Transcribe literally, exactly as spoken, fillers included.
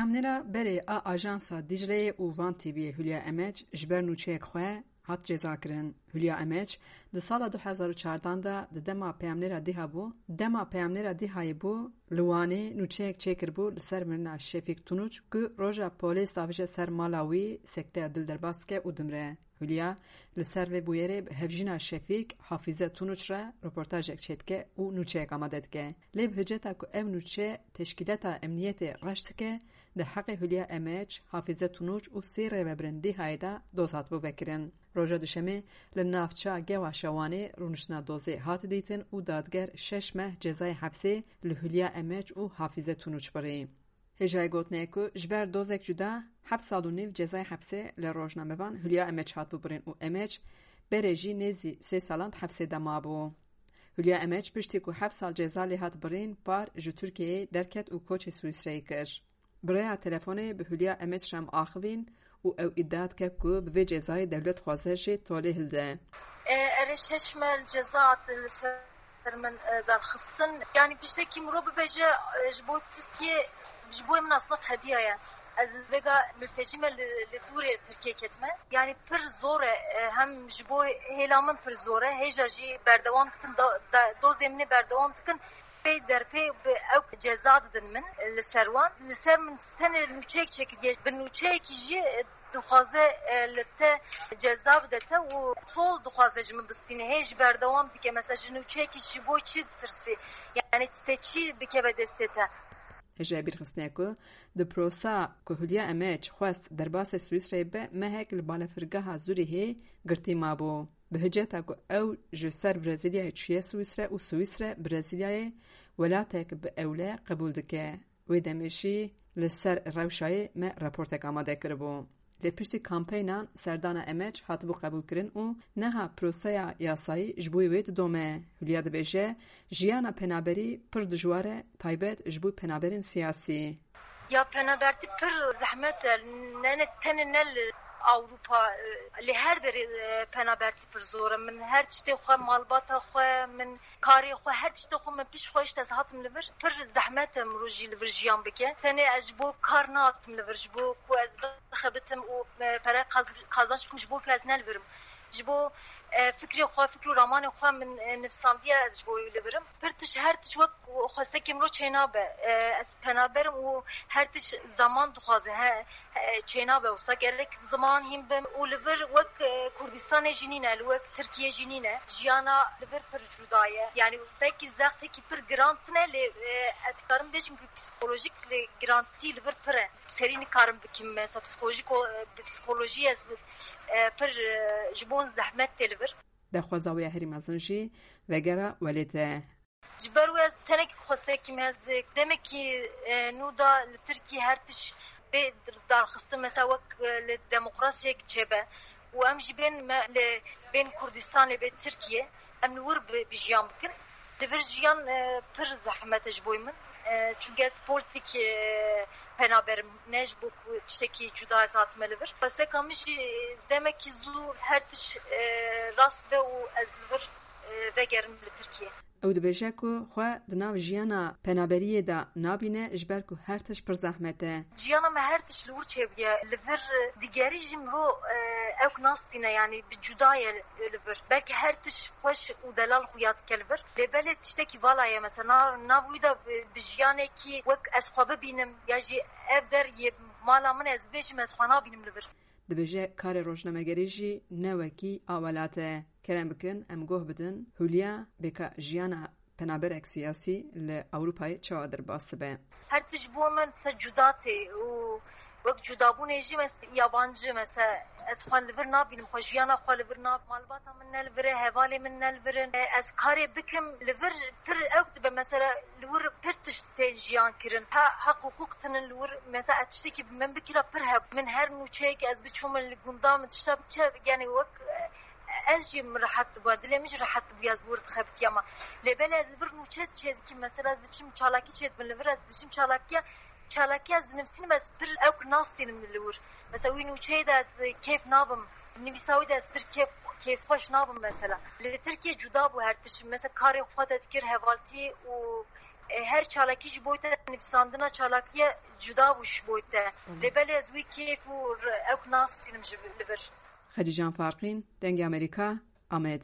Peyamnêra berê a Ajansa Dicleyê û Van T V'yê Hülya Emeç ji ber nûçeyek xwe hat cezakirin. Hülya Emeç di sala du hezar û çardan de di dema peyamnêra DÎHA bû, dema peyamnêra DÎHAyê bû, li Wanê nûçeyek çêkiribû li ser mirina Şefîk Tunûç ku roja polês davêje ser mala wî, sekteya dil derbas dike û dimre. Hülya li ser vê bûyerê bi hevjîna Şefîk, Hafize Tunûç re reportajek çêdike û nûçeyek amade dike. Lê bi hiceta ku ev nûçe teşkîlata emniyetê reş dike, di heqê Hülya Emeç, Hafize Tunûç û sê rêvebirên DÎHAyê de doz hatibû vekirin. Roja Duşemê li navça Gewaşa Wanê rûniştina dozê hat dîtin û dadger şeş meh cezayê hepsê li Hülya Emeç û Hafize Tunûç birî. Hêjayê gotinê ye ku ji ber dozek cuda heft sal û nîv cezayê hepsê li rojnamevan Hülya Emeç hatibû birîn û Emeç berê jî nêzî sê salan di hepsê de mabû. Hülya Emeç piştî ku heft sal ceza lê hat birîn, par ji Tirkiyeyê derket û koçê Swîsreyê kir. Bi rêya telefonê bi Hülya Emeç re em axivîn û ew îdia dike ku bi vê cezayê dewlet dixwaze jê tolê hilde. E, erê şeş meh ceza hatin li ser min, e, derxistin. Yanî tiştekî mirov bibêje, e, ji bo Tirkiye, ji bo min aslında qediya ye. Ez li vêga miltecî me li, li dûrê Tirkiye ketime. Yanî pir zor e, e, hem ji bo hêla min pir zor e. Hêja jî berdewam dikin, da, da, dozê min ê berdewam dikin. Pê derpê bi ew ceza didin min li ser wan. Li ser min tenê nûçeyek çêkiriye. Bi nûçeyekî jî, e, dixwaze, e, li te ceza bide te û tol dixwaze ji min bistîne. Hê ji berdewam dike. Mesela ji nûçeyekî ji bo çi ditirsî? Yani te çi bikeve destê te? Hêjayê bîrxistinê ye ku di prosa ku Hülya Emeç xwest derbasê Swîsreyê be, mehek li balafirgeha Zurîhê girtî mabû. Bi hiceta ku ew ji ser Brezîlyayê çûye Swîsre û Swîsre Brezîlyayê welatek bi ewle qebûl dike. Wê demê jî li ser rewşayê me raportek amade kiribû. Lê piştî kampeynan serdana Emeç hatibû qebûlkirin û niha proseya yasayî ji bo wê didome. Hülya dibêje, jiyana penaberî pir dijwar e, taybet ji bo penaberên siyasî. Ya penabertî pir zehmet e, ne, ne tenê ne li Ewropa, e, li her derê, e, penabertî pir zor e. Min her tiştê xwe, malbata xwe, min karê xwe, her tiştê xwe min pişt xwe hişt ez hatim li vir. Pir zehmet e mirov jî li vir jiyan bike. Tenê ez ji bo kar nehatim li vir, ji bo ku ez bixebitim û, e, pere qaz-, qazanç bikim, ji bo ku ez ne li vir im. Ji bo, e, fikrê xwe, fikr û ramanê xwe min, e, nivsandiye ez ji bo wî li vir im. Pir tişt, her tişt wek xwestekê mirov çênabe. E, ez penaber im û her tişt zeman dixwaze. He, he, çênabe wisa gerek ziman hîn bim û li vir wek, e, Kurdistanê jî nîne, li wek Tirkiye jî nîne. Jiyana li vir pir cuda ye. Yani belkî zextekî pir giran tune lê, e, ez dikarim bêjim ku psîkolojîk lê girantî li vir pir e. Serî nikarim bikim, mesela psîkolojîk o, e, bi psîkolojî ez, e, pir, e, ji bo zehmet tê li vir. Daxwaza wê ya herî mezin jî vegera welêt e. Ji ber wê ez tenekî xwestekî me, ez demekî, e, nû da li Tirkiyê her tişt bê darxistin, mesela wek, e, li demokrasiyek çêbe û em jî bên me li, bên Kurdistanê, bê Tirkiyê, em li wir bi, bi jiyan bikin. Li vir jiyan, e, pir zehmet e ji bo min. E, çunke ez polîtîk, e, penaber im, ne ji bo ku tiştekî cuda ez hatime li vir. Xwesteka min jî demekî zû her tişt, e, rast be û ez li vir, e, vegerim li Tirkiyê. Ew dibêje ku xwe di nav jiyana penaberiyê de nabîne, ji ber ku her tişt pir zehmet e. Jiyana me her tişt li wir çêbûye. Li vir digerî jî mirov, e, ew nastîne, yanî bi cuda ye li vir. Belkî her tişt xweş û delal xuya dike li vir. Lê belê tiştekî vala ye, mesela na-, nav wî de bi, bi jiyanekî wek ez xwe bibînim, ya jî ev der yê mala min ez bêjim, ez xwe nabînim li vir. Dibêje karê rojnamegerî jî ne wekî a welat e. Kerem bikin, em goh bidin, Hülya bê ka jiyana penaberek siyasî li Ewropayê çawa derbas dibe? Her tişt bo min te cuda tê û wek cudabûnê jî mes-, yabancî, mesela ez xwe li vir nabînim, xwe jiyana xwe li vir nab-, malbata min ne li vir e, hevalê min ne li vir in. E, ez karê bikim li vir pir ewk dibe, mesela li wir pir tişt tên jiyan kirin. Ha, heq hukuk tinin li wir, mesela ez tiştekî bi min bikira pir heb. Min her nûçeyek ez biçûm min li gunda min tişta biçe, yani wek, e, ez jî min rehet dibû, dilê min jî rehet dibû, ez wir dixebitiya ma. Lê belê ez li vir nûçe çê dikim, mesela ez diçim çalakî çê dibin li vir, ez diçim çalakiya, çalakiya ez dinivîsim, ez pir ewk nastînim li wir. Mesela wî nûçeyê de ez kêf nabim, nivîsa wî de ez pir kêf, kêfxweş nabim mesela. Li Tirkiye cuda bû her tişt. Mesela karê xwe te dikir, hevaltî û E, her çalakî ji bo te nivîsandina çalakiye cuda bû ji bo te. Lê belê ez wî kêf û re-, ewk nasînim ji li vir. Xedîcan Farqîn, Dengê Amerîka, Amed.